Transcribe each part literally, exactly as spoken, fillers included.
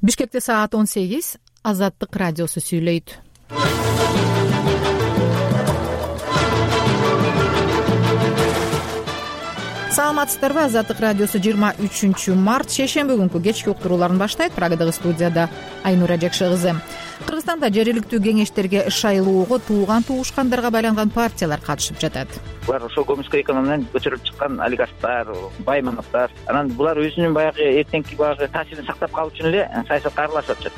Бишкекте саат он сегиз. Азаттык радиосу сүйлөйт. Саламатсыздарбы? Азаттык радиосу жыйырма үчүнчү март шейшемби күнкү кечки уктурууларын баштайт. Прагадагы студияда Айнура Жакшы кызы. Кыргызстанда жергиликтүү кеңештерге шайлоого тууган туушкандарга байланган партиялар катышып жатат. Булар ошол көмүскө экономиядан көчөрүлүп чыккан олигархтар, баймановдор. Анан булар өзүнүн баягы эртеңки баягы таасирин сактап калуу үчүн эле саясатка аралашып атышат.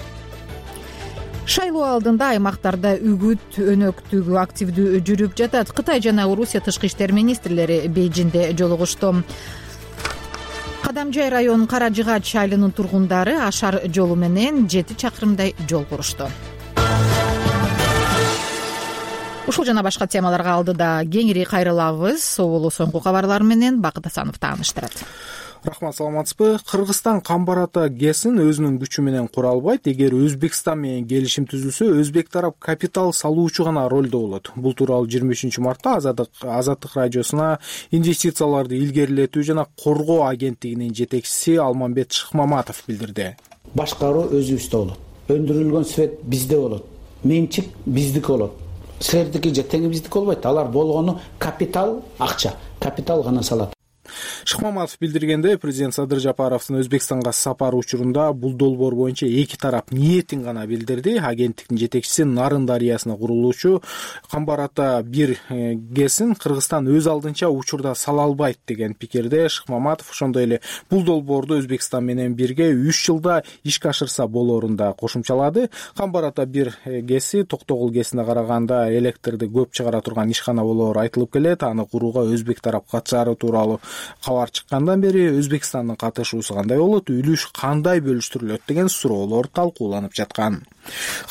Шайлоо алдында аймактарда үгүт өнөктүгү активдүү жүрүп жатат. Кытай жана Орусия тышкы иштер министрлери Бейжиңде жолугушту. Кадамжай районунун Кара Жыгач айылынын тургундары ашар жолу менен жети чакырымдай жол курушту. Ушул жана башка темаларга алдыда кеңири кайрылабыз. Соболу соңку кабарлар менен Бакыт Асанов тааныштырат. Рахмат, саламатсызбы? Кыргызстан Камбар ата ГЭСин өзүнүн күчү менен кура албайт. Эгер Өзбекстан менен келишим түзүлсө, өзбек тарап капитал салуучу гана ролдо болот. Бул тууралуу жыйырма үчүнчү мартта Азаттык Азаттык радиосуна инвестицияларды илгерилетүү жана коргоо агенттигинин жетекчиси Алмамбет Шыкмаматов билдирди. Башкаруу өзүбүздө болот. Өндүрүлгөн свет бизде болот. Менчик биздики болот. Силердики же тең биздики болбойт. Алар болгону капитал, акча. Капитал гана салат. Шыкмаматов билдиргенде, президент Садыр Жапаровдун Өзбекстанга сапары учурунда бул долбоор боюнча эки тарап ниетин гана билдирди. Агенттиктин жетекчиси Нарын дарыясына курулуучу Камбар ата бир ГЭСин Кыргызстан өз алдынча учурда сала албайт деген пикирде Шыкмаматов ошондой эле бул долбоорду Өзбекстан менен бирге үч жылда ишке ашырса болоорун да кошумчалады. Камбар ата бир ГЭСи Токтогул ГЭСине караганда электрди көп чыгара турган ишкана болоору айтылып келет. Аны курууга өзбек тарап катышаары тууралуу кабар чыккандан бери Өзбекстандын катышуусу кандай болот, үлүш кандай бөлүштүрүлөт деген суроолор талкууланып жаткан.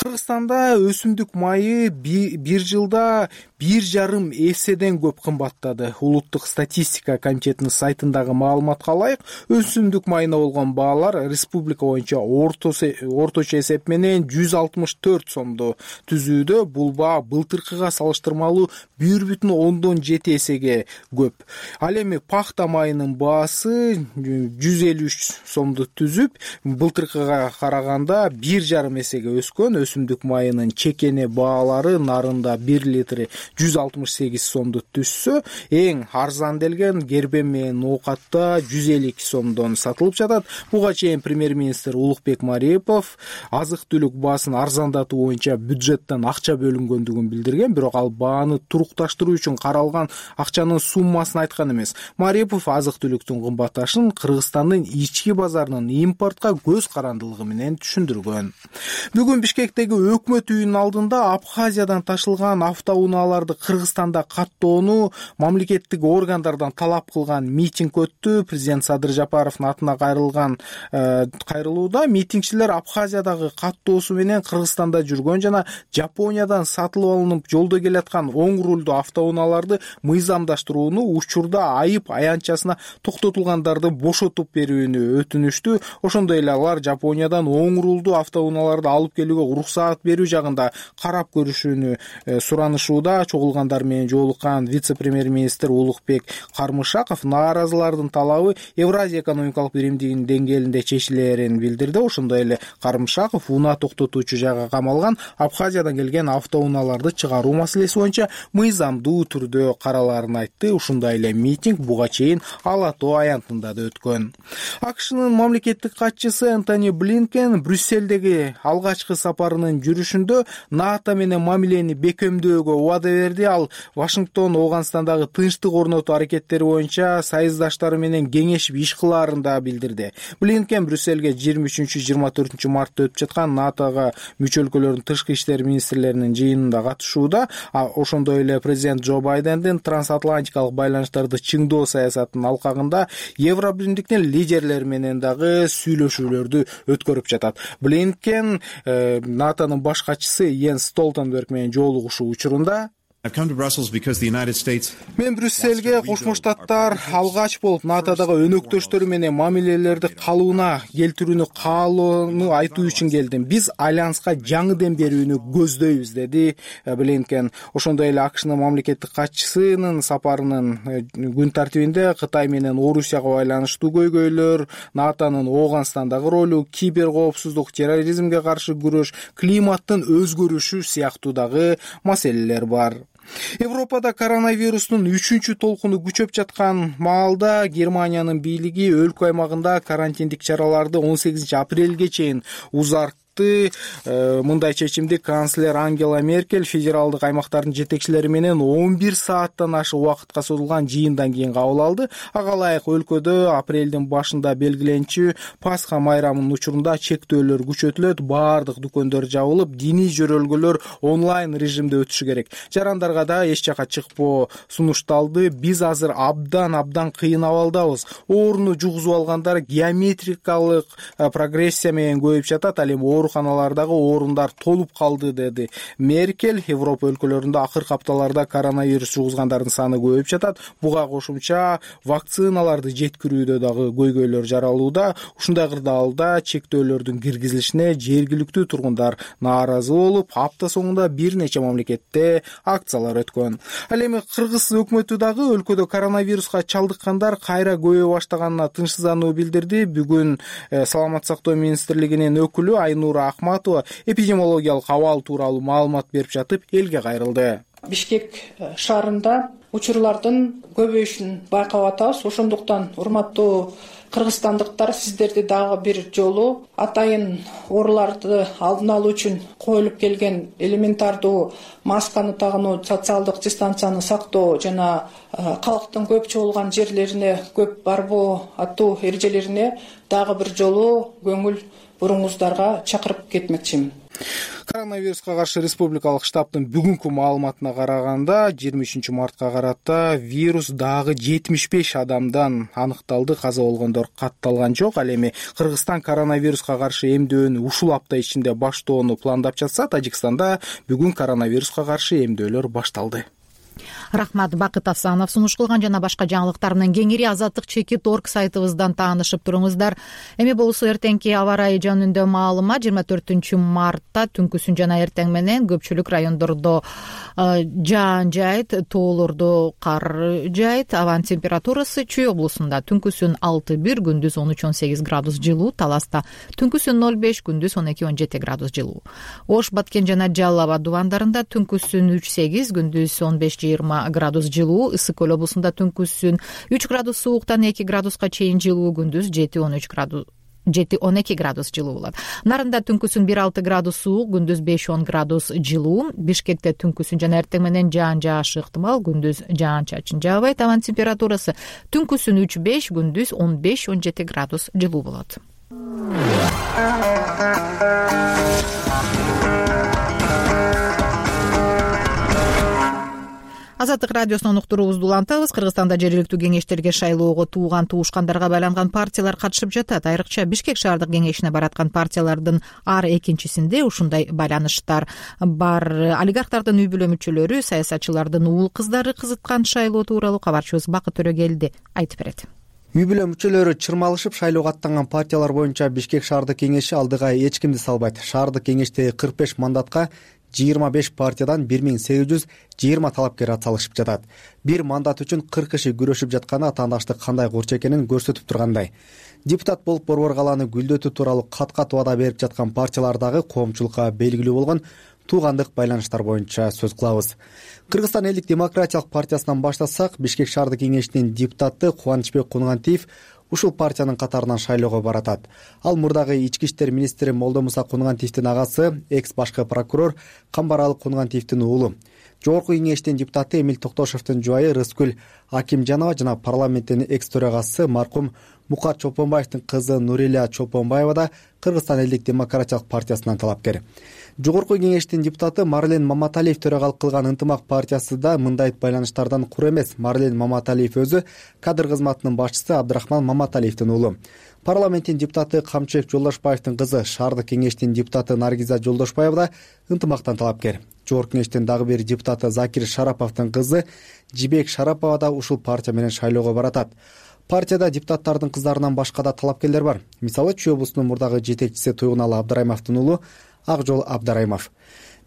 Кыргызстанда өсүмдүк майы бир жылда бир жарым эседен көп кымбаттады. Улуттук статистика комитетинин сайтындагы маалыматка ылайык, өсүмдүк майына болгон баалар республика боюнча орточо эсеп менен жүз алтымыш төрт сомду түзүүдө. Бул баа былтыркыга салыштырмалуу бир бүтүн ондон жети эсеге көп. Ал эми пахта майынын баасы жүз элүү үч сомду түзүп, былтыркыга караганда бир жарым эсеге өскөн. Өсүмдүк майынын чекене баалары нарында бир литри жүз алтымыш сегиз сомду түшсө, эң арзан делген гербем менен оокатта жүз элүү эки сомдон сатылып жатат. Буга чейин премьер-министр Улукбек Мариипов азык-түлүк баасын арзандатуу боюнча бюджеттен акча бөлүнгөндүгүн билдирген, бирок ал бааны турукташтыруу үчүн каралган акчанын суммасын айткан эмес. Мариипов азык-түлүктүн кымбатташын Кыргызстандын ички базарынын импортко көз карандылыгы менен түшүндүргөн. Бүгүн Бишкектеги өкмөт үйүнүн алдында Абхазиядан ташылган автоунааларды Кыргызстанда каттоону мамлекеттик органдардан талап кылган митинг өттү. Президент Садыр Жапаровдун атына кайрылган кайрылууда митингчилер Абхазиядагы каттоосу менен Кыргызстанда жүргөн жана Жапониядан сатылып алынып жолдо келаткан оң рулдуу автоунааларды мыйзамдаштырууну, учурда айып аянтчасына токтотулгандарды бошотуп берүүнү өтүнүштү. Ошондой эле алар Жапониядан оң рулдуу автоунааларды алып келүүгө уруксаат берүү жагында карап көрүшүүнү суранышууда. Чогулгандар менен жолуккан вице-премьер-министр Улукбек Кармышаков нааразылардын талабы Евразия экономикалык биримдигинин деңгээлинде чечилерин билдирди. Ошондой эле Кармышаков унаа токтотуучу жайга камалган Абхазиядан келген автоунааларды чыгаруу маселеси боюнча мыйзамдуу түрдө каралаарын айтты. Ушундай эле митинг буга чейин Ала Тоо аянтында да өткөн. АКШнын мамлекеттик катчысы Энтони Блинкен Брюссельдеги алгачкы сапарынын жүрүшүндө НАТО менен мамилени бекемдөөгө убада берди. Ал Вашингтон Ооганстандагы тынчтык орнотуу аракеттери боюнча союздаштары менен кеңешип иш кылаарын да билдирди. Блинкен Брюссельге жыйырма үчүнчү жыйырма төртүнчү мартта өтүп жаткан НАТОга мүчө өлкөлөрдүн тышкы иштер министрлеринин жыйынында катышууда. Ошондой эле президент Джо Байдендин трансатлантикалык байланыштарды чыңдоо саясатынын алкагында Евробиримдиктин лидерлери менен дагы сүйлөшүүлөрдү өткөрүп жатат. Блинкен НАТОнун баш катчысы Йенс Столтенберг менен жолугушуу учурунда Мен Брюссельге Кошмо Штаттар алгач болуп натодагы өнөктөштөрү менен мамилелерди калыбына келтирүүнү каалоону айтуу үчүн келдим. Биз альянска жаңы дем берүүнү көздөйбүз, деди Блинкен. Ошондой эле АКШнын мамлекеттик катчысынын сапарынын күн тартибинде Кытай менен Орусияга байланыштуу көйгөйлөр, натонун Ооганстандагы ролу, кибер коопсуздук, терроризмге каршы күрөш, климаттын өзгөрүшү сыяктуу дагы маселелер бар. Европада коронавирустун үчүнчү толкуну күчөп жаткан маалда Германиянын бийлиги өлкө аймагында карантиндик чараларды он сегизинчи апрелге чейин узартты. Мындай чечимди канцлер Ангела Меркель федералдык аймактардын жетекчилери менен он бир сааттан ашык убакытка созулган жыйындан кийин кабыл алды. Ага ылайык өлкөдө апрелдин башында белгиленчү Пасха майрамынын учурунда чектөөлөр күчөтүлөт, баардык дүкөндөр жабылып, диний жөрөлгөлөр онлайн режимде өтүшү керек. Жарандарга да эч жака чыкпоо сунушталды. Биз азыр абдан абдан кыйын абалдабыз. Ооруну жугузуп алгандар геометрикалык прогрессия менен көбөйүп жатат. Ал эми ооруканалардагы орундар толуп калды, деди Меркель. Европа өлкөлөрүндө акыркы апталарда коронавирус жугузгандардын саны көбөйүп жатат. Буга кошумча вакциналарды жеткирүүдө дагы көйгөйлөр жаралууда. Ушундай кырдаалда чектөөлөрдүн киргизилишине жергиликтүү тургундар нааразы болуп, апта соңунда бир нече мамлекетте акциялар өткөн. Ал эми Кыргыз өкмөтү дагы өлкөдө коронавируска чалдыккандар кайра көбөйө баштаганына тынчсыздануу билдирди. Бүгүн саламаттык сактоо министрлигинин өкүлү Айнура Ахматова эпидемиологиялык абал тууралуу маалымат берип жатып элге кайрылды. Бишкек шаарында учурлардын көбөйүшүн байкап атабыз. Ошондуктан урматтуу кыргызстандыктар, сиздерди дагы бир жолу атайын ооруларды алдын алуу үчүн коюлуп келген элементардуу масканы тагынуу, социалдык дистанцияны сактоо жана калктын көп чогулган жерлерине көп барбоо аттуу эрежелерине дагы бир жолу көңүл буруңуздарга чакырып кетмекчимин. Коронавируска каршы республикалык штабтын бүгүнкү маалыматына караганда жыйырма үчүнчү мартка карата вирус дагы жетимиш беш адамдан аныкталды. Каза болгондор катталган жок. Ал эми Кыргызстан коронавируска каршы эмдөөнү ушул апта ичинде баштоону пландап жатса, Тажикстанда бүгүн коронавируска каршы эмдөөлөр башталды. Рахмат, Бакыт Асанов сунуш кылган. Жана башка жаңылыктар менен кеңири азаттык чекит орг сайтыбыздан таанышып туруңуздар. Эми болсо эртеңки аба ырайы жөнүндө маалымат. жыйырма төртүнчү мартта түнкүсүн жана эртең менен көпчүлүк райондордо жаан жайт, тоолордо кар жайт. Абанын температурасы Чүй облусунда түнкүсүн алты бир, күндүз он үч он сегиз градус жылуу, Таласта түнкүсүн ноль беш, күндүз он эки он жети градус жылуу. Ош, Баткен жана Жалал Абад дубандарында түнкүсүн үч сегиз, күндүз он беш жыйырма градус жылуу. Ысык көл облусунда түнкүсүн үч градус сууктан эки градуска чейин жылуу, күндүз жети он үч градус жети он эки градус жылуу болот. Нарында түнкүсүн бир алты градус суук, күндүз беш он градус жылуу. Бишкекте түнкүсүн жана эртең менен жаан жаашы ыктымал, күндүз жаан чачын жаабайт. Абанын температурасы түнкүсүн үч беш, күндүз он беш он жети градус жылуу болот. Азаттык радиосунун уктуруубузду улантабыз. Кыргызстанда жергиликтүү кеңештерге шайлоого тууган туушкандарга байланган партиялар катышып жатат. Айрыкча Бишкек шаардык кеңешине бараткан партиялардын ар экинчисинде ушундай байланыштар бар. Олигархтардын үй бүлө мүчөлөрү, саясатчылардын уул кыздары кызыткан шайлоо тууралуу кабарчыбыз Бакыт Төрөгелди айтып берет. Үй бүлө мүчөлөрү чырмалышып шайлоого аттанган партиялар боюнча Бишкек шаардык кеңеши алдыга эч кимди салбайт. Шаардык кеңештеги кырк беш мандатка жыйырма беш партиядан бир миң сегиз жүз жыйырма талапкер атсалышып жатат. Бир мандат үчүн кырк киши күрөшүп жатканы атаандаштык кандай курч экенин көрсөтүп тургандай. Депутат болуп борбор калааны гүлдөтүү тууралуу кат-кат убада берип жаткан партиялардагы коомчулукка белгилүү болгон туугандык байланыштар боюнча сөз кылабыз. Кыргызстан элдик демократиялык партиясынан баштасак, Бишкек шаардык кеңешинин депутаты Кубанычбек Кунгантиев ушул партиянын катарынан шайлоого баратат. Ал мурдагы ички иштер министри Молдомуса Кунгантиевдин агасы, экс башкы прокурор Камбаралы Кунгантиевдин уулу. Жогорку кеңештин депутаты Эмил Токтошевдин жубайы Рыскүл Акимжанова жана парламенттин экс төрагасы маркум Мукат Чолпонбаевдин кызы Нурилия Чолпонбаева да Кыргызстан элдик демократиялык партиясынан талапкер. Жогорку кеңештин депутаты Марлен Маматалиев төрагалык кылган Ынтымак партиясы да мындай байланыштардан кур эмес. Марлен Маматалиев өзү кадр кызматынын башчысы Абдрахман Маматалиевдин уулу. Парламенттин депутаты Камчыбек Жолдошбаевдин кызы, шаардык кеңештин депутаты Наргиза Жолдошбаева да Ынтымактан талапкер. Жогорку кеңештин дагы бир депутаты Закир Шараповдун кызы Жибек Шарапова да ушул партия менен шайлоого баратат. Партияда депутаттардын кыздарынан башка да талапкерлер бар. Мисалы, Чүй облусунун мурдагы жетекчиси Туйгуналы Абдрайымовдун уулу Акжол Абдрайымов.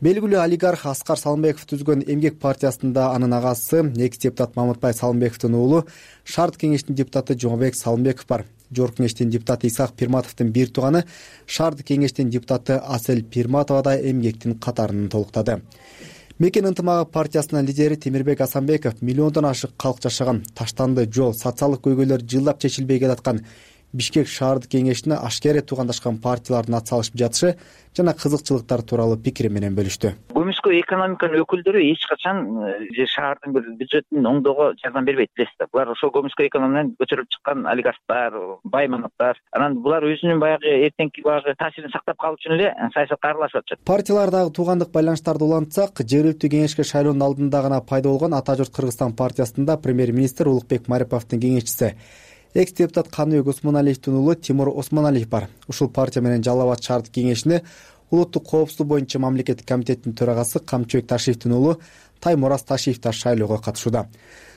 Белгилүү олигарх Аскар Салымбеков түзгөн Эмгек партиясында анын агасы экс депутат Мамытбай Салымбековдун уулу шаардык кеңештин депутаты Жомобек Салымбеков бар. Жогорку кеңештин депутаты Исак Пирматовдун бир тууганы шаардык кеңештин депутаты Асель Пирматова да Эмгектин катарын толуктады. Мекен ынтымагы партиясынын лидери Темирбек Асанбеков миллиондон ашык калк жашаган таштанды жол, социалдык көйгөйлөр жылдап чечилбей келаткан Бишкек шаардык кеңешине ашкере туугандашкан партиялардын атсалышып жатышы жана кызыкчылыктар тууралуу пикири менен бөлүштү. Көмүскө экономиканын өкүлдөрү эч качан же шаардын бир бюджетин оңдоого жардам бербейт, билесиз. Булар ошол көмүскө экономиядан көчүрүлүп чыккан олигархтар, байманаптар. Анан булар өзүнүн баягы эртеңки баягы таасирин сактап калуу үчүн эле саясатка аралашып атышат. Партиялардагы туугандык байланыштарды улантсак, жергиликтүү кеңешке шайлоонун алдында гана пайда болгон Ата журт Кыргызстан партиясында премьер-министр Улукбек Мариповдун кеңешчиси экс депутат Каныбек Осмоналиевдин уулу Тимур Осмоналиев бар. Ушул партия менен Жалал Абад шаардык кеңешине улуттук коопсуздук боюнча мамлекеттик комитеттин төрагасы Камчыбек Ташиевдин уулу Таймураз Ташиев да шайлоого катышууда.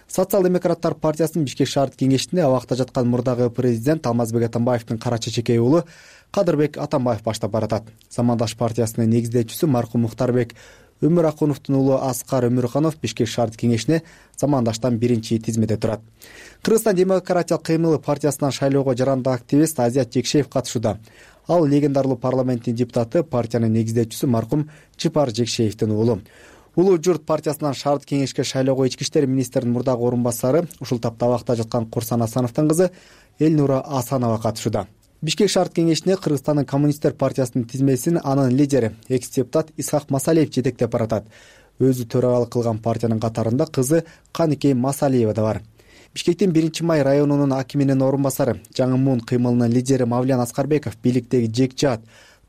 Социал-демократтар партиясынын Бишкек шаардык кеңешинде абакта жаткан мурдагы президент Алмазбек Атамбаевдин кара чечекей уулу Кадырбек Атамбаев баштап баратат. Замандаш партиясынын негиздөөчүсү маркум Мухтарбек Өмүракуновдун уулу Аскар Өмүрханов Бишкек шаардык кеңешине замандаштан биринчи тизмеде турат. Кыргызстан демократиялык кыймылы партиясынан шайлоого жарандык активист Азият Жекшеев катышууда. Ал легендарлуу парламенттин депутаты, партиянын негиздөөчүсү маркум Чыпар Жекшеевдин уулу. Улуу журт партиясынан шаардык кеңешке шайлоого ички иштер министринин мурдагы орун басары, ушул тапта абакта жаткан Курсан Асановдун кызы Элнура Асанова катышууда. Бишкек шаардык кеңешине Кыргызстандын коммунисттер партиясынын тизмесин анын лидери экс депутат Исхак Масалиев жетектеп баратат. Өзү төрагалык кылган партиянын катарында кызы Каныкей Масалиева да бар. Бишкектин биринчи май районунун акиминин орун басары, Жаңы Муун кыймылынын лидери Мавлян Аскарбеков бийликтеги жекчаат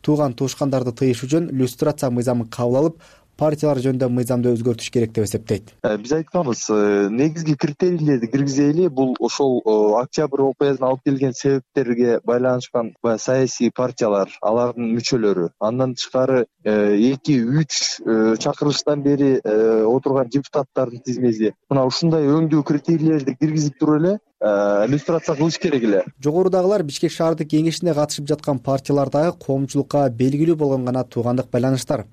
тууган туушкандарды тыйыш үчүн люстрация мыйзамын кабыл алып, партиялар жөнүндө мыйзамды өзгөртүш керек деп эсептейт. Биз айтканбыз, негизги критерийлерди киргизели, бул ошол октябрь окуясынан алып келген себептерге байланышкан саясий партиялар, алардын мүчөлөрү. Андан тышкары эки үч чакырылыштан бери отурган депутаттардын тизмеси. Мына ушундай өңдүү критерийлерди киргизип туруп эле иллюстрация кылыш керек эле. Жогорудагылар Бишкек шаардык кеңешине катышып жаткан партиялардагы коомчулукка белгилүү болгон гана туугандык байланыштар.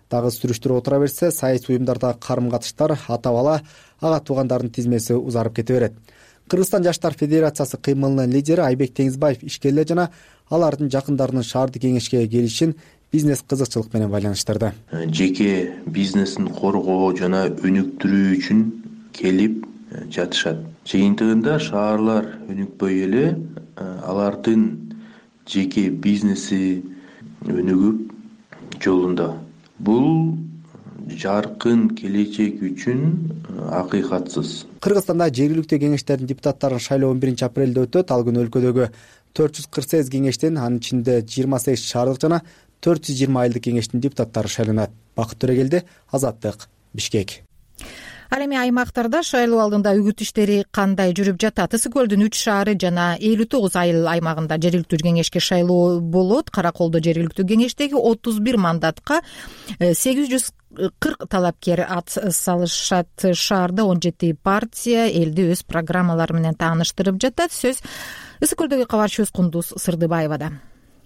Дагы сүрүштүрүп отура берсе, саясий уюмдардагы карым-катыштар ата бала ага туугандардын тизмеси узарып кете берет. Кыргызстан жаштар федерациясы кыймылынын лидери Айбек Теңизбаев ишкерлер жана алардын жакындарынын шаардык кеңешке келишин бизнес кызыкчылык менен байланыштырды. Жеке бизнесин коргоо жана өнүктүрүү үчүн келип жатышат. Жыйынтыгында шаарлар өнүкпөй эле алардын жеке бизнеси өнүгүп жолунда. Бул жаркын келечек үчүн акыйкатсыз. Кыргызстанда жергиликтүү кеңештердин депутаттарын шайлоо он биринчи апрелде өтөт. Ал күнү өлкөдөгү төрт жүз кырк сегиз кеңештин, анын ичинде жыйырма сегиз шаардык жана төрт жүз жыйырма айылдык кеңештин депутаттары шайланат. Бакыт Төрөгелди, Азаттык, Бишкек. Ал эми аймактарда шайлоо алдында үгүт иштери кандай жүрүп жатат? Ысык көлдүн үч шаары жана элүү тогуз айыл аймагында жергиликтүү кеңешке шайлоо болот. Караколдо жергиликтүү кеңештеги отуз бир мандатка сегиз жүз кырк талапкер ат салышат. Шаарда он жети партия элди өз программалары менен тааныштырып жатат. Сөз Ысык көлдөгү кабарчыбыз Кундуз Сырдыбаевада.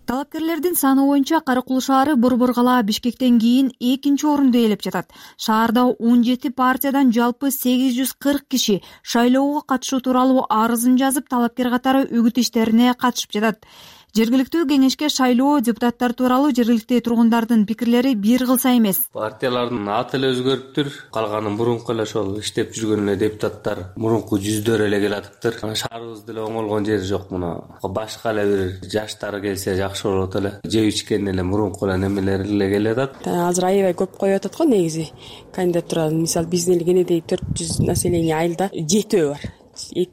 Талапкерлердин саны боюнча Каракул шаары Борбор кала Бишкектен кийин экинчи орунду ээлеп жатат. Шаарда он жети партиядан жалпы сегиз жүз кырк киши шайлоого катышуу тууралуу арызын жазып, талапкер катары үгүт иштерине катышып жатат. Жергиликтүү кеңешке шайлоо депутаттар тууралуу жергиликтүү тургундардын пикирлери бир кылса эмес. Партиялардын аты эле өзгөрүптүр, калганы мурунку эле ошол иштеп жүргөн эле депутаттар мурунку жүздөр эле келатыптыр. Шаарыбызда эле оңолгон жери жок. Муну башка эле бир жаштар келсе жакшы болот эле. Жеп ичкен эле мурунку эле немелер эле келатат. Азыр аябай көп коюп атат го негизи кандидатура. Мисалы биздин эл кенедей төрт жүз население айылда жетөө бар.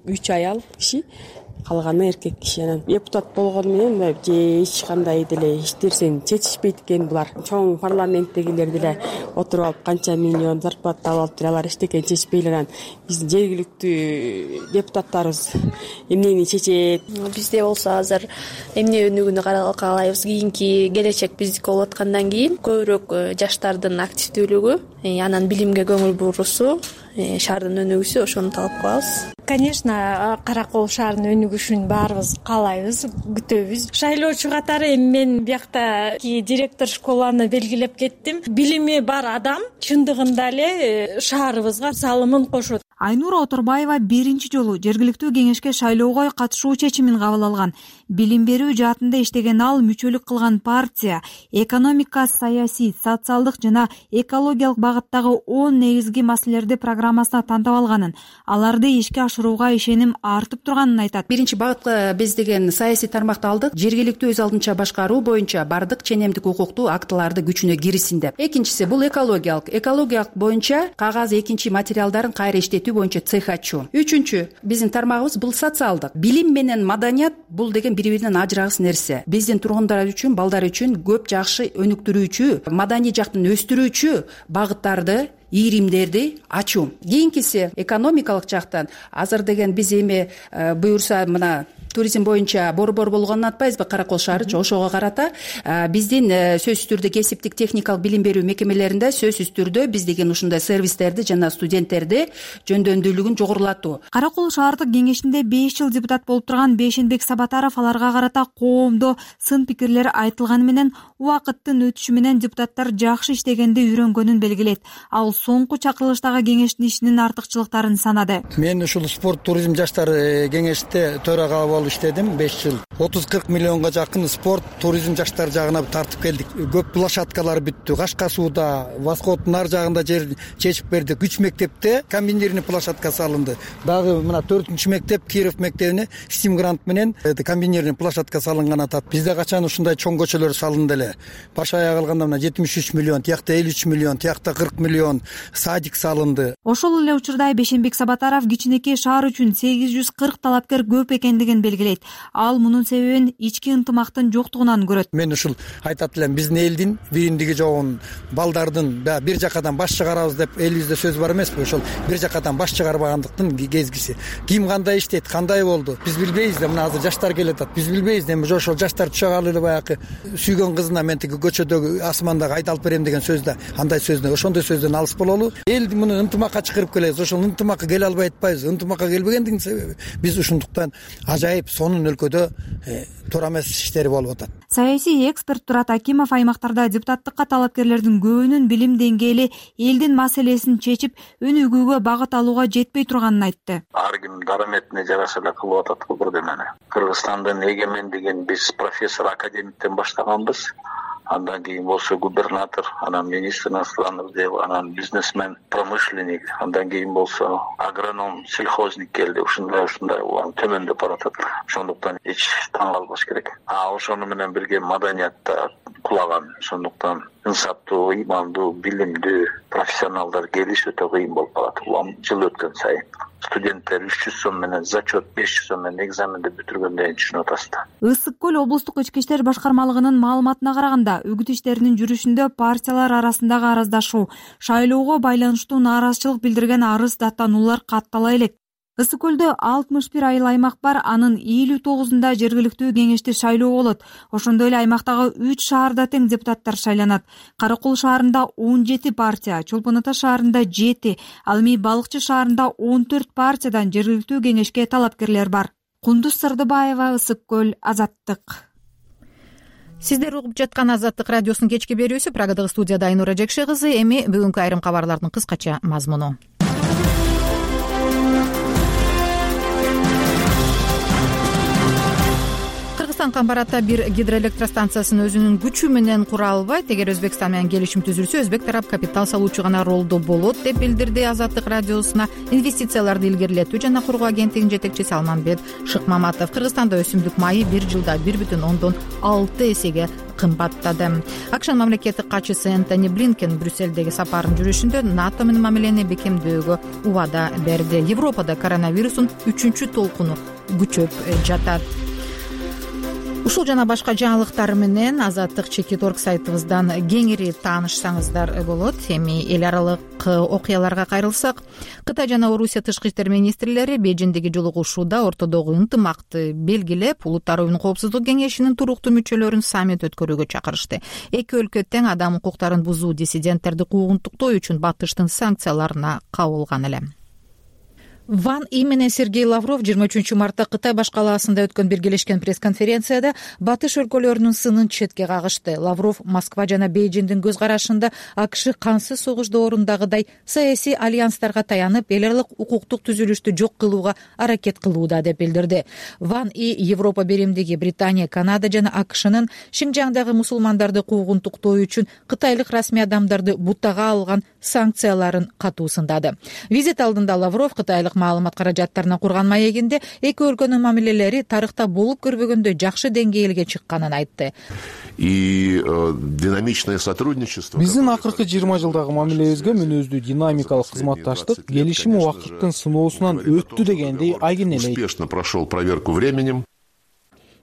үч аял киши, калганы эркек киши. Анан депутат болгону менен же эч кандай деле эч нерсени чечишпейт экен булар. Чоң парламенттегилер деле отуруп алып канча миллион зарплата алып алып алар эчтекени чечпей эле. Биздин жергиликтүү депутаттарыбыз эмнени чечет? Бизде болсо азыр эмне өнүгүүнү каралайбыз. Кийинки келечек биздики болуп аткандан кийин көбүрөөк жаштардын активдүүлүгү, анан билимге көңүл бурусу, шаардын өнүгүүсү, ошону талап кылабыз. Конечно, Каракол шаарынын өнүгүшүн баарыбыз каалайбыз, күтөбүз. Шайлоочу катары эми мен биякта директор школаны белгилеп кеттим. Билими бар адам чындыгында эле шаарыбызга салымын кошот. Айнура Оторбаева биринчи жолу жергиликтүү кеңешке шайлоого катышуу чечимин кабыл алган. Билим берүү жаатында иштеген ал мүчөлүк кылган партия экономика, саясий, социалдык жана экологиялык багыттагы он негизги маселелерди программасына тантап алганын, аларды ишке ашырууга ишеним артып турганын айтат. Биринчи багытка биз деген саясий тармакты алдык. Жергиликтүү өз алдынча башкаруу боюнча бардык ченемдик укуктуу актыларды күчүнө кирисин деп. Экинчиси бул экологиялык. Экологиялык боюнча кагаз экинчи материалдарын кайра иштетүү боюнча цех ачуу. Үчүнчү биздин тармагыбыз бул социалдык. Билим менен маданият бул деген бири-биринен ажырагыс нерсе. Биздин тургундар үчүн, балдар үчүн көп жакшы өнүктүрүүчү, маданий жактан өстүрүүчү багыттарды, ийримдерди ачуу. Кийинкиси экономикалык жактан азыр деген биз эми буюрса мына туризм боюнча борбор болгонун атпайбызбы, Каракол шаары ошого карата биздин сөзсүз түрдө кесиптик техникалык билим берүү мекемелеринде сөзсүз түрдө биз деген ушундай сервистерди жана студенттерди жөндөмдүүлүгүн жогорулатуу. Каракол шаардык кеңешинде беш жыл депутат болуп турган Бейшенбек Сабатаров аларга карата коомдо сын пикирлер айтылганы менен убакыттын өтүшү менен депутаттар жакшы иштегенди үйрөнгөнүн белгилейт. Ал соңку чакырылыштагы кеңештин ишинин артыкчылыктарын санады. Мен ушул спорт, туризм, жаштар кеңеште төрага болуп иштедим беш жыл. отуз кырк миллионго жакын спорт, туризм, жаштар жагына тартып келдик. Көп площадкалар бүттү. Кашка сууда, Восходдун ар жагында жер чечип бердик. үч мектепте комбинированный площадка салынды. Дагы мына төртүнчү мектеп Киров мектебине Стим грант менен комбинированный площадка салынган атат. Бизде качан ушундай чоң көчөлөр салынды эле. Баш аяк алганда мына жетимиш үч миллион, тиякта элүү үч миллион, тиякта кырк миллион садик салынды. Ошол эле учурда Бейшенбек Сабатаров кичинекей шаар үчүн сегиз жүз кырк талапкер көп экендигин белгилейт. Ал мунун себебин ички ынтымактын жоктугунан көрөт. Мен ушул айтат элем, биздин элдин бириндиги жогун, балдардын бир жакадан баш чыгарабыз деп элибизде сөз бар эмеспи? Ошол бир жакадан баш чыгарбагандыктын кезгиси. Ким кандай иштейт, кандай болду? Биз билбейбиз да, мына азыр жаштар келатат. Биз билбейбиз эми ошол жаштар түшөгалы эле баягы сүйгөн кызына мен тиги көчөдөгү асмандагы айдалып берем деген сөздө, андай сөздөн, ошондой сөздөн алыс бололу. Эл муну ынтымакка чакырып келебиз. Ошол ынтымакка келе албай атпайбыз. Ынтымакка келбегендигинин себеби биз ушундуктан ажайып сонун өлкөдө туура эмес иштери болуп атат. Саясий эксперт Турат Акимов аймактарда депутаттыкка талапкерлердин көбүнүн билим деңгээли элдин маселесин чечип, өнүгүүгө багыт алууга жетпей турганын айтты. Ар ким дараметине жараша эле кылып атат го бирдемени. Кыргызстандын эгемендигин биз профессор, академиктен баштаганбыз. Андан кийин болсо губернатор, анан министр иностранных дел, анан бизнесмен, промышленник, андан кийин болсо агроном, сельхозник келди. Ушундай ушундай улам төмөндөп баратат. Ошондуктан эч таң калбаш керек. А ошону менен бирге маданиятта кулаган. Ошондуктан инсаптуу, ыймандуу, билимдүү профессионалдар келиш өтө кыйын болуп калат. Улам жыл өткөн сайын студенттер үч жүз сом менен зачет, беш жүз сом менен экзаменди бүтүргөндөн түшүнүп атасыздар. Ысык көл облустук ички иштер башкармалыгынын маалыматына караганда, үгүт иштеринин жүрүшүндө партиялар арасындагы араздашуу, шайлоого байланыштуу нааразычылык билдирген арыз даттануулар каттала элек. Ысык көлдө алтымыш бир айыл аймак бар, анын элүү тогузунда жергиликтүү кеңешти шайлоо болот. Ошондой эле аймактагы үч шаарда тең депутаттар шайланат. Каракол шаарында он жети партия, Чолпон Ата шаарында жети, ал эми Балыкчы шаарында он төрт партиядан жергиликтүү кеңешке талапкерлер бар. Кундуз Сырдыбаева, Ысык көл, Азаттык. Сиздер угуп жаткан Азаттык радиосунун кечки берүүсү. Прагадагы студияда Айнура Жекше кызы. Эми бүгүнкү айрым кабарлардын кыскача мазмуну. Кыргызстан Камбаратта бир гидроэлектростанциясын өзүнүн күчү менен кура албайт. Эгер Өзбекстан менен келишим түзүлсө, өзбек тарап капитал салуучу гана ролдо болот деп билдирди Азаттык радиосуна инвестицияларды илгерилетүү жана кургоо агенттигинин жетекчиси Алмамбет Шыкмаматов. Кыргызстанда өсүмдүк майы бир жылда бир бүтүн ондон алты эсеге кымбаттады. АКШнын мамлекеттик катчысы Энтони Блинкен Брюссельдеги сапарын жүрүшүндө НАТО менен мамилени бекемдөөгө убада берди. Европада коронавирустун үчүнчү толкуну күчөп жатат. Ушул жана башка жаңылыктар менен Азаттык чекит орг сайтыбыздан кеңири таанышсаңыздар болот. Эми эл аралык окуяларга кайрылсак, Кытай жана Орусия тышкы иштер министрлери Бейжиңдеги жолугушууда ортодогу ынтымакты белгилеп, Улуттар оюнунун коопсуздук кеңешинин туруктуу мүчөлөрүн саммит өткөрүүгө чакырышты. Эки өлкө тең адам укуктарын бузуу, диссиденттерди куугунтуктоо үчүн Батыштын санкцияларына кабылган эле. Ван И менен Сергей Лавров жыйырма үчүнчү мартта Кытай баш калаасында өткөн биргелешкен пресс-конференцияда Батыш өлкөлөрүнүн сынын четке кагышты. Лавров Москва жана Бейжиңдин көз карашында АКШ кансыз согуш доорундагыдай саясий альянстарга таянып, эл аралык укуктук түзүлүштү жок кылууга аракет кылууда деп билдирди. Ван И Европа биримдиги, Британия, Канада жана АКШнын Шинжаңдагы мусулмандарды куугунтуктоо үчүн кытайлык расмий адамдарды бутага алган санкцияларын катуу сындады. Визит алдында Лавров кытайлык маалымат каражаттарына курган маегинде эки өлкөнүн мамилелери тарыхта болуп көрбөгөндөй жакшы деңгээлге чыкканын айтты. И динамичное сотрудничество. Биздин акыркы жыйырма жылдагы мамилебизге мүнөздүү динамикалык кызматташтык келишим убакыттын сыноосунан өттү дегенди айгинелейт. Успешно прошел проверку временем.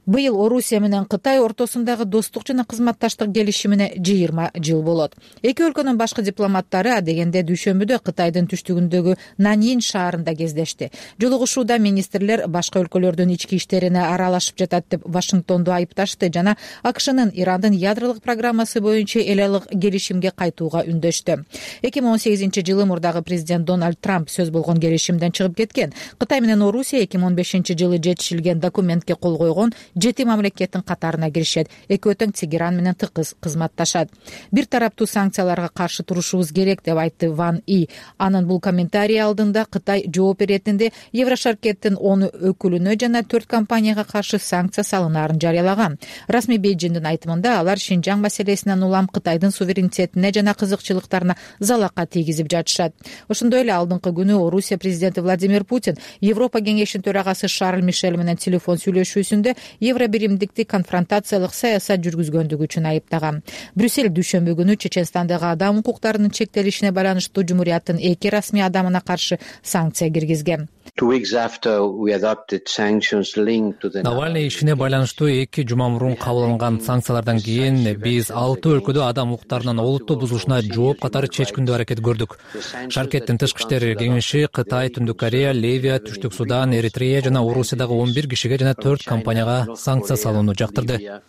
Быйыл Орусия менен Кытай ортосундагы достук жана кызматташтык келишимине жыйырма жыл болот. Эки өлкөнүн башкы дипломаттары адегенде дүйшөмбүдө Кытайдын түштүгүндөгү Наньин шаарында кездешти. Жолугушууда министрлер башка өлкөлөрдүн ички иштерине аралашып жатат деп Вашингтонду айыпташты жана АКШнын Ирандын ядролук программасы боюнча эл аралык келишимге кайтууга үндөштү. эки миң он сегизинчи жылы мурдагы президент Дональд Трамп сөз болгон келишимден чыгып кеткен. Кытай менен Орусия эки миң он бешинчи жылы жетишилген документке кол койгон жети мамлекеттин катарына киришет. Экөө тең Тегеран менен тыкыз кызматташат. Бир тараптуу санкцияларга каршы турушубуз керек деп айтты Ван И. Анын бул комментарий алдында Кытай жооп беретинде Еврошаркеттин он өкүлүнө жана төрт компанияга каршы санкция салынаарын жарыялаган. Расмий Бейжиңдин айтымында алар Шинжаң маселесинен улам Кытайдын суверенитетине жана кызыкчылыктарына залака тийгизип жатышат. Ошондой эле алдыңкы күнү Орусия президенти Владимир Путин Европа кеңешинин төрагасы Шарль Мишель менен телефон сүйлөшүүсүндө Евро биримдикти конфронтациялык саясат жүргүзгөндүгү үчүн айыптаган. Брюссель дүйшөмбү күнү Чеченстандагы адам укуктарынын чектелишине байланыштуу жумурияттын эки расмий адамына каршы санкция киргизген. Навальный ишине байланыштуу эки жума мурун кабыл алынган санкциялардан кийин биз алты өлкөдө адам укуктарынын олуттуу бузулушуна жооп катары чечкиндүү аракет көрдүк. Шаркеттин тышкы иштер кеңеши Кытай, Түндүк Корея, Ливия, Түштүк Судан, Эритрея жана Орусиядагы он бир кишиге жана төрт компанияга санкция салууну жактырды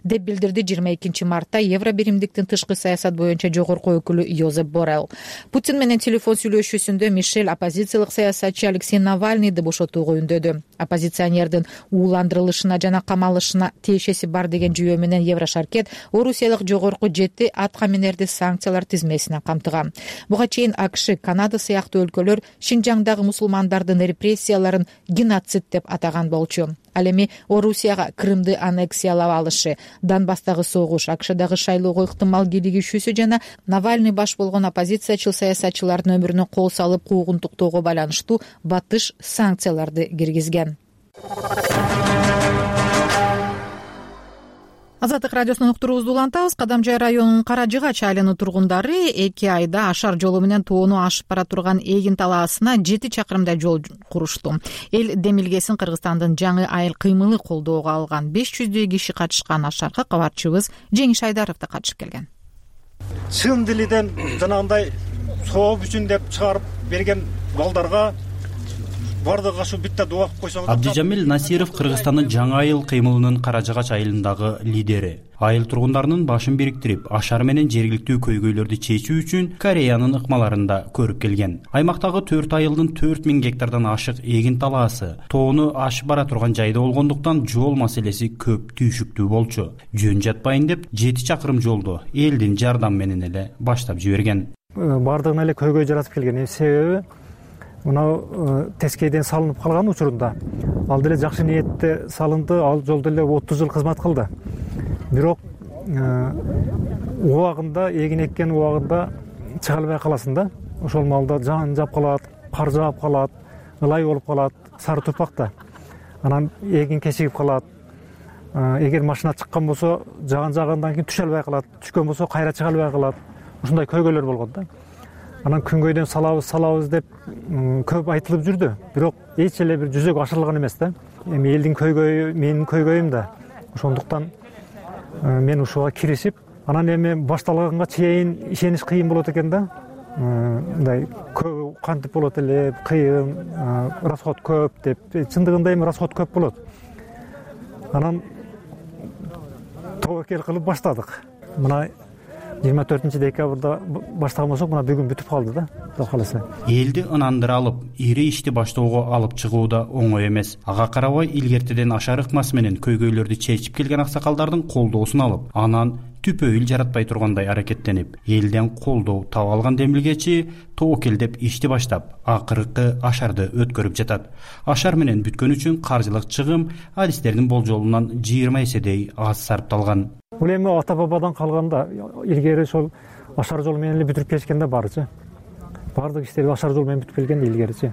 деп билдирди жыйырма экинчи мартта Евро биримдиктин тышкы саясат боюнча жогорку өкүлү Йозеп Боррелл. Путин менен телефон сүйлөшүүсүндө Мишель оппозициялык саясатчы Алексей Навальныйды бошотууга үндөдү. Оппозиционердин ууландырылышына жана камалышына тиешеси бар деген жүйө менен Еврошаркет Орусиялык жогорку жети аткаминерди санкциялар тизмесине камтыган. Буга чейин АКШ, Канада сыяктуу өлкөлөр Шинжаңдагы мусулмандардын репрессияларын геноцид деп атаган болчу. Ал эми Орусияга Крымды аннексиялап алышы, Донбасстагы согуш, АКШдагы шайлоого ыктымал кийлигишүүсү жана Навальный баш болгон оппозициячыл саясатчылардын өмүрүнө кол салып куугунтуктоого байланыштуу Батыш санкцияларды киргизген. Азаттык радиосунун уктуруубузду улантабыз. Кадамжай районунун Каражыгач айылынын тургундары эки айда ашар жолу менен тоону ашып бара турган Эгин талаасына жети чакырымдай жол курушту. Эл демилгесин Кыргызстандын жаңы айыл кыймылы колдоого алган. беш жүздөй киши катышкан ашарга кабарчыбыз Жеңиш Айдаров да катышып келген. Чын дилиден жанагындай сооп үчүн деп чыгарып берген балдарга бардыгы ашу битте дуа кылып койсоңуз. Абдижамил Насиров Кыргызстандын жаңы айыл кыймылынын Каражыгач айылындагы лидери. Айыл тургундарынын башын бириктирип, ашар менен жергиликтүү көйгөйлөрдү чечүү үчүн Кореянын ыкмаларында көрүп келген. Аймактагы төрт айылдын төрт миң гектардан ашык эгин талаасы тоону ашып бара турган жайда болгондуктан жол маселеси көп түйшүктүү болчу. Жөн жатпайын деп жети чакырым жолду элдин жардам менен эле баштап жиберген. Бардыгына эле көйгөй жаратып келген. Себеби мына тескейден салынып калган учурунда ал деле жакшы ниетте салынды, ал жол деле отуз жыл кызмат кылды. Бирок убагында эгин эккен убагында чыга албай каласың да. Ошол маалда жан жап калат, кар жаап калат, ылай болуп калат, сары турпакта. Анан эгин кечигип калат. Эгер машина чыккан болсо, жаган жагандан кийин түшө албай калат, түшкөн болсо кайра чыга албай калат. Ушундай көйгөйлөр болгон да. Анан күнгөйдөн салабыз, салабыз деп көп айтылып жүрдү. Бирок эч эле бир жүзөгө ашырылган эмес да. Эми элдин көйгөйү, менин көйгөйүм да. Ошондуктан мен ушуга киришип, анан эми башталганга чейин ишениш кыйын болот экен да. Мындай көп кантип болот эле, кыйын, расход көп деп. Чындыгында эми расход көп болот. Анан тобокел кылып баштадык. Мына жыйырма төртүнчү декабрда баштаган болсок, мына бүгүн бүтүп калды да, Кудай кааласа. Элди ынандыра алып, ири ишти баштоого алып чыгуу да оңой эмес. Ага карабай илгертеден ашар ыкмасы менен көйгөйлөрдү чечип келген аксакалдардын колдоосун алып, анан түпөйүл жаратпай тургандай аракеттенип, элден колдоо таба алган демилгечи тобокелдеп ишти баштап, акыркы ашарды өткөрүп жатат. Ашар менен бүткөн үчүн каржылык чыгым адистердин болжолунан жыйырма эседей аз сарпталган. Бул эми ата бабадан калганда, илгери ошол ашар жол менен эле бүтүрүп келишкен да баарычы. Баардык иштерди ашар жол менен бүтүп келген да илгеричи.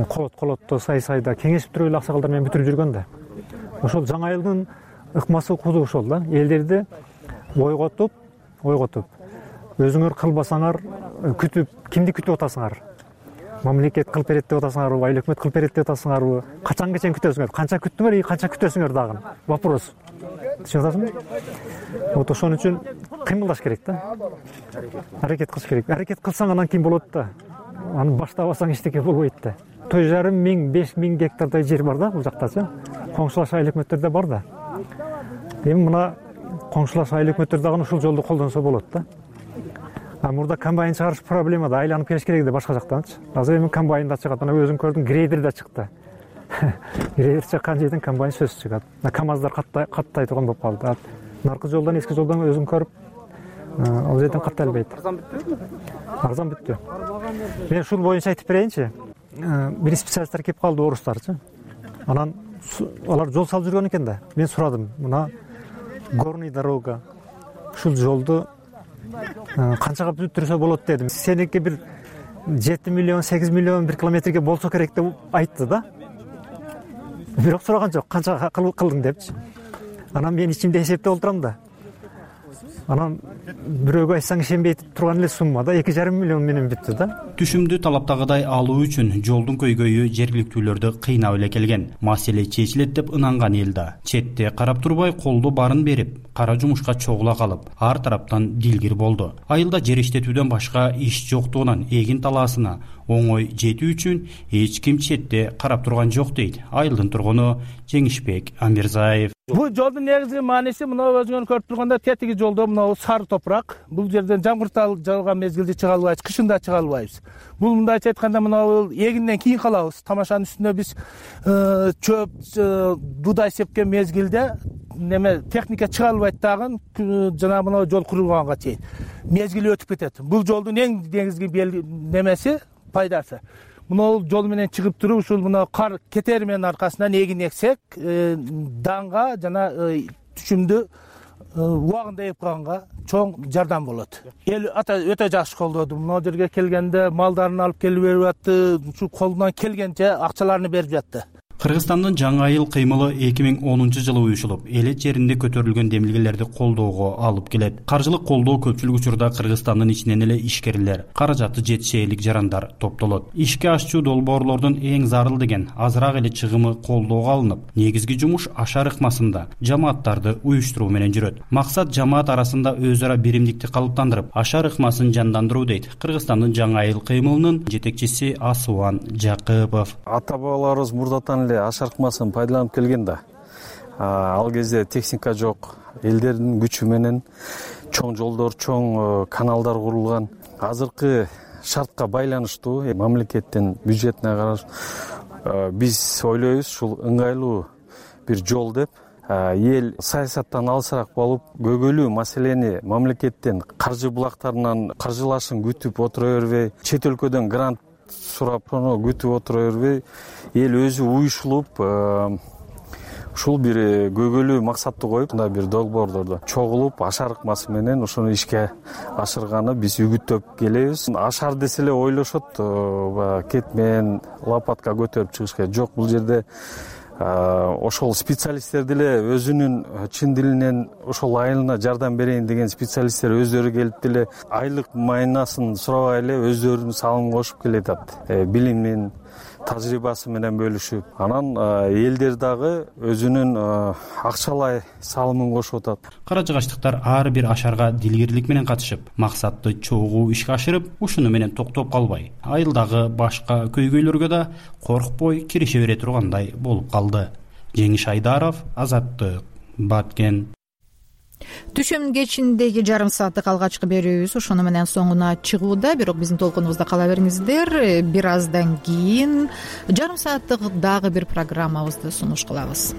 Колот колотто, сай сайда кеңешип туруп эле аксакалдар менен бүтүрүп жүргөн да. Ошол жаңы айылдын ыкмасы куду ошол да. Элдерди ойготуп, ойготуп, өзүңөр кылбасаңар, күтүп, кимди күтүп атасыңар? Мамлекет кылып берет деп атасыңарбы, айыл өкмөт кылып берет деп атасыңарбы? Качанга чейин күтөсүңөр? Канча күттүңөр и канча күтөсүңөр дагы? Вопрос. Түшүнүп атасыңбы? Вот ошон үчүн кыймылдаш керек да. Аракет кылыш керек. Аракет кылсаң анан кийин болот да. Аны баштабасаң эчтеке болбойт да. төрт жарым миң, беш миң гектардай жер бар да бул жактачы. Коңшулаш айыл өкмөттөрдө бар да. Эми мына коңшулаш айыл өкмөттөр дагы ушул жолду колдонсо болот да. А мурда комбайн чыгарыш проблема да, айланып келиш керек да башка жактанчы. Азыр эми комбайн да чыгат, ана өзүң көрдүң, грейдер да чыкты. Грейдер чыккан жерден комбайн сөз чыгат. КамАЗдар каттай каттай турган болуп калды. Наркы жолдон, эски жолдон өзүң көрүп, ал жерден каттай албайт. Арзан бүттүбү? Арзан бүттү. Мен ушул боюнча айтып берейинчи. Бир специалисттер кеп калды, орустарчы. Анан алар жол салып жүргөн экен да. Мен сурадым, мына горный дорога, ушул жолду канчага бүтүрсө болот дедим. Сеники бир жети миллион, сегиз миллион бир километрге болсо керек деп айтты да. Бирок сураган жок, канчага кылдың депчи. Анан мен ичимде эсептеп отурам да. Анан бирөөгө айтсаң ишенбей турган эле сумма да, эки жарым миллион менен бүттү да. Түшүмдү талаптагыдай алуу үчүн жолдун көйгөйү жергиликтүүлөрдү кыйнап эле келген. Маселе чечилет деп ынанган эл да четте карап турбай колдо барын берип, кара жумушка чогула калып, ар тараптан дилгир болду. Айылда жер иштетүүдөн башка иш жоктугунан эгин талаасына оңой жетүү үчүн эч ким четте карап турган жок дейт айылдын тургуну Жеңишбек Амирзаев. Бул жолдун негизги мааниси мына өзүңөр көрүп турганда тетиги жолдо мына сары топурак. Бул жерден жамгыр жауган мезгилде чыга албайбыз, кышында чыга албайбыз. Бул мындайча айтканда мына эгинден кийин калабыз. Тамашанын үстүнө биз чөп, буудай сепкен мезгилде неме техника чыга албайт дагы, жана мына жол курулганга чейин мезгили өтүп кетет. Бул жолдун эң негизги немеси пайдасы. Мына жол менен чыгып туруп, ушул мына кар кетери менен аркасынан эгин эксек, данга жана түшүмдү убагында эп калганга чоң жардам болот. Эл ата өтө жакшы колдоду. Мына жерге келгенде малдарын алып келип берип атты, ушу колунан келгенче акчаларын берип жатты. Кыргызстандын жаңы айыл кыймылы эки миң онунчу жылы уюшулуп, элет жеринде көтөрүлгөн демилгелерди колдоого алып келет. Каржылык колдоо көпчүлүк учурда Кыргызстандын ичинен эле ишкерлер, каражаты жетише элек жарандар топтолот. Ишке ашчу долбоорлордун эң зарыл деген азыраак эле чыгымы колдоого алынып, негизги жумуш ашар ыкмасында жамааттарды уюштуруу менен жүрөт. Максат жамаат арасында өз ара биримдикти калыптандырып, ашар ыкмасын жандандыруу дейт Кыргызстандын жаңы айыл кыймылынын жетекчиси Асуан Жакыпов. Ата бабаларыбыз мурдатан ашар ыкмасын пайдаланып келген да. Ал кезде техника жок, элдердин күчү менен чоң жолдор, чоң каналдар курулган. Азыркы шартка байланыштуу мамлекеттин бюджетине караш биз ойлойбуз ушул ыңгайлуу бир жол деп. Эл саясаттан алысыраак болуп, көйгөйлүү маселени мамлекеттен каржы булактарынан каржылашын күтүп отура бербей, чет өлкөдөн грант сурап сону күтүп отура бербей эл өзү уюшулуп ушул бир көйгөйлүү максатты коюп мындай бир долбоордордо чогулуп ашар ыкмасы менен ошону ишке ашырганы биз үгүттөп келебиз. Ашар десе эле ойлошот баягы кет менен лопатка көтөрүп чыгышка. Жок, бул жерде ошол специалисттер деле өзүнүн чын дилинен ошол айылына жардам берейин деген специалисттер өздөрү келип деле айлык майнасын сурабай эле өздөрүнүн салымын кошуп келатат. Билимин тажрыйбасы менен бөлүшүп, анан элдер дагы өзүнүн акчалай салымын кошуп атат. Кара жыгачтыктар ар бир ашарга дилгирлик менен катышып, максатты чогуу ишке ашырып, ушуну менен токтоп калбай, айылдагы башка көйгөйлөргө да коркпой кирише бере тургандай болуп калды. Жеңиш Айдаров, Азаттык, Баткен. Түшүм кечиндеги жарым сааттык алгачкы берүүбүз ошону менен соңуна чыгууда. Бирок биздин толкунубузда кала бериңиздер. Бир аздан кийин жарым сааттык дагы бир программабызды сунуш кылабыз.